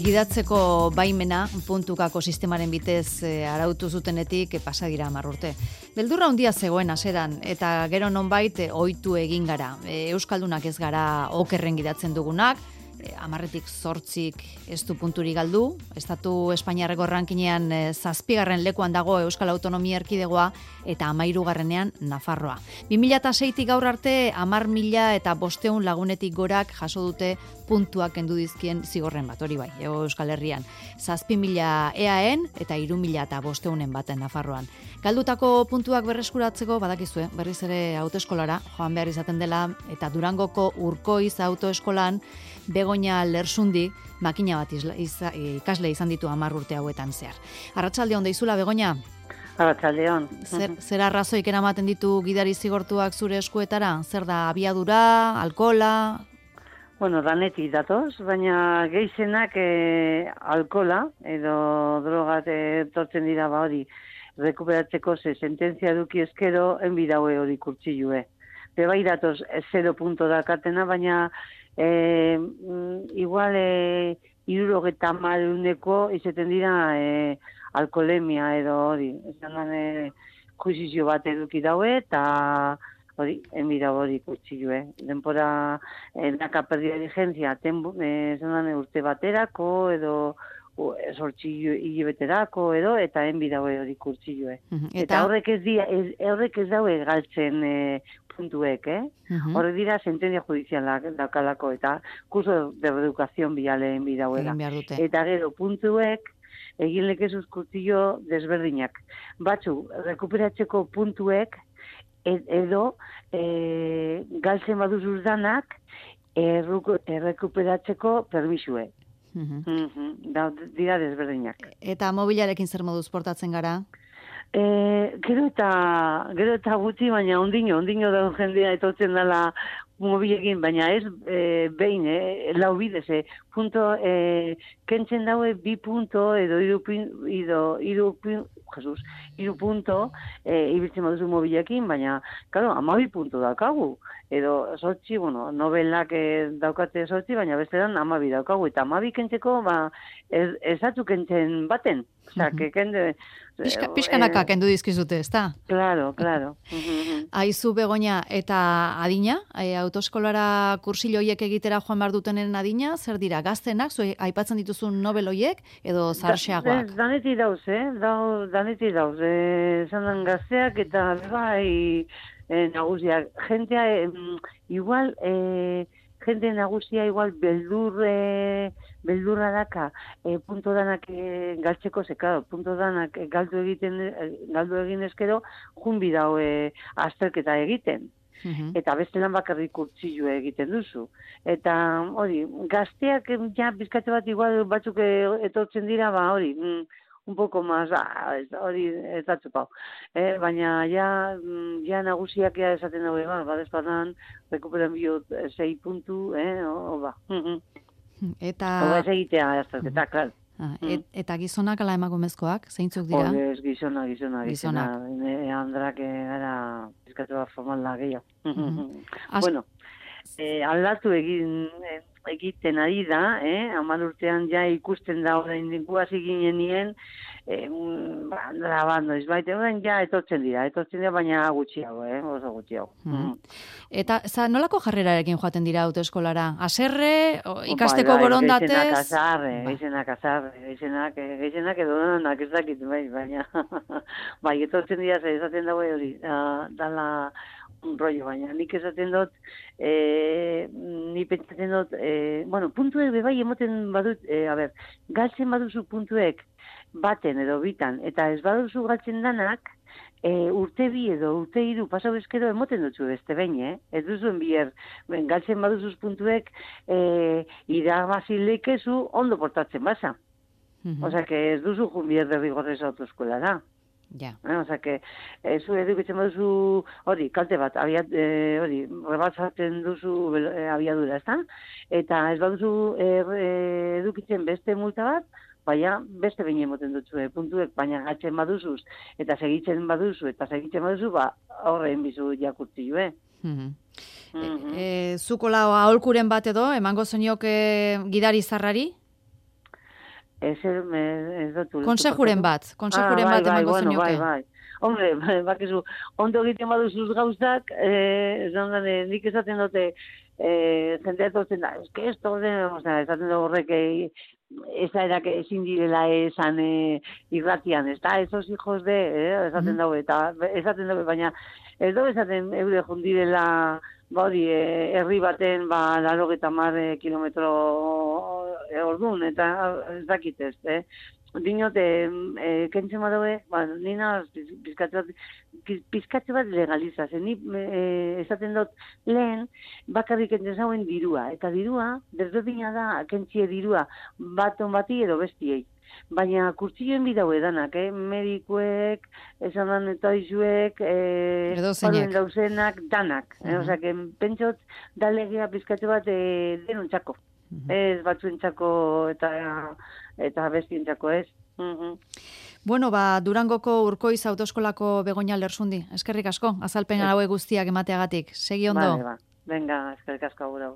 Gidatzeko baimena puntukako sistemaren bitez arautu zutenetik pasa dira 10 urte. Beldurra handia zegoen hasieran eta gero nonbait ohitu egin gara. Euskaldunak ez gara okerren gidatzen dugunak, 10tik 8 ez du punturik galdu. Estatu Espainiarreko rankinean 7. lekuan dago Euskal Autonomia Erkidegoa eta 13. Nafarroa. 2006tik gaur arte 10.500 lagunetik gorak jaso dute puntuak kendu dizkien zigorren bat, hori bai, Euskal Herrian. 7.000 EAEn eta 3.500 baten Nafarroan. Galdutako puntuak berreskuratzeko badakizue, berriz ere autoeskolara joan behar izaten dela eta Durangoko Urkoiz autoeskolan Begoña Lersundi makina bat ikasle izan ditu 10 urte hauetan zehar. Arratsaldeon deizula, Begoña? Arratsaldeon. Zer arrazoik eramaten ditu gidari zigortuak zure eskuetara? Zer da, abiadura, alkohola? Bueno, danetik datoz, baina gehienak alkohola edo drogat etortzen dira hori rekuperatzeko sententzia eduki eskero enbidaue hori kurtsilue. Bebai datoz 0 punto dakatena, baina igual 70 izaten dira alkoholemia edo hori. Esan juizizio bat eduki daue eta hori, enbida hori kurtsilue. Denpora naka perdia vigencia urte baterako edo 8 hilabeterako edo eta enbida hori kurtsilue. Eta horrek ez daue galtzen puntuek, Horrek dira sentencia judizialak dakalako eta kurso de reeducación biale enbida huela. Eta gero puntuek egin lekezuz kurtsillo desberdinak. Batzu, rekuperatzeko puntuek edo galtzen baduzuz danak rekuperatzeko permisue. Dira desberdinak. Eta mobilarekin zer moduz portatzen gara? Gero eta gutxi, baina ondino da jendea etortzen dela mobilekin, baina ez behin, lau bidez, punto, kentzen daue 2 punto edo 3 punto ibiltzen baduzu mobilekin, baina, claro, 12 punto daukagu. Edo 8, bueno, nobelak daukate 8, baina bestean 12 daukagu. Eta 12 kentzeko, ez datu kentzen baten. Osea, kende... Pixkanaka kendu dizkizute, ezta? Claro. Aizu, Begoña, eta adina? Autoeskolara kursillo hoiek egitera joan behar dutenen adina? Zer dira, gaztenak, aipatzen dituzun nobel hoiek, edo zarxeagoak? Danetik dauz, danetik dauz. Zandan gazteak eta bai nagusiak. Jentea, igual... Gente nagusia igual beldurra daka punto danak galtzeko sekado, punto danak galdu egin eskero junbi dau azterketa egiten. Eta beste lan bakarrik kurtsillo egiten duzu. Eta hori, gazteak ja bizkate bat igual batzuk etortzen dira, hori, un poco más, hori ez datzupau. Baina ja nagusiak esaten dago, badezpadan, rekuperan biot 6 puntu, Eta... Oba ez egitea, eta, klar. Eta gizonak ala emakumezkoak, zeintzuk dira? Ez, gizona. Andrak gara bizkatu bat formala gehiago. Bueno, aldatu egiten ari da, 10 urtean ja ikusten da orain hasi ginenien, grabando, orain ja etortzen dira, baina gutxiago, oso gutxiago. Eta, nolako jarrerarekin joaten dira autoeskolara? Haserre, ikasteko borondatez? Gehienak edo donak ez dakit, baina etortzen dira, esaten dago hori, dala un rollo, baina nik esaten dut, ni pentsatzen dut, puntuek bebai emoten badut, galtzen baduzu puntuek baten edo bitan, eta ez baduzu galtzen danak, urte 2 edo urte 3 pasau eskero emoten dutzu beste behin, ez duzuen bier, galtzen baduzuz puntuek irabazi leikezu ondo portatzen basa. Osea, que ez duzu junbier derrigorrez autoeskolara. Ja. Osea, que zu edukitzen baduzu hori, kalte bat, hori, rebatzatzen duzu abiadura, ezta? Eta ez baduzu edukitzen beste multa bat, baina beste behin emoten dutzu puntuek, baina gatzen baduzuz, eta segitzen baduzu, horrein bizu jakurtzi jo, Zuko lau aholkuren bat edo, emango zenioke gidari zarrari? Ez dut. Konsejuren bat emango zenioke. Bai. Hombre, bakizu, ondo egiten baduzuz gauzak, nik esaten dute, jendea etortzen da, esto, esaten da horrek, esaerak ezin direla esan irratian, ez da, esos hijos de, esaten dago, eta esaten dago, baina ez dago esaten eure jundirela, hori, herri baten, 80 kilometro ordun, eta ez dakit ez, Dinot, kentzen badaue, nina pizkatze bat legalizaz. Ni esaten dut lehen bakarrik kentzen zauen dirua. Eta dirua, desberdina da, kentzie dirua baton bati edo bestiei. Baina kurtsilloen bidaue danak, medikuek, esan dan eta izuek, Edozeinek. Dauzenak, danak. Osea, pentsot, da legea pizkatze bat denontzako. Ez batzuentzako eta bestientzako ez. Bueno, Durangoko Urkoiz autoeskolako Begoña Lersundi. Eskerrik asko, azalpen hauek guztiak emateagatik. Segi ondo. Venga, eskerrik asko gura.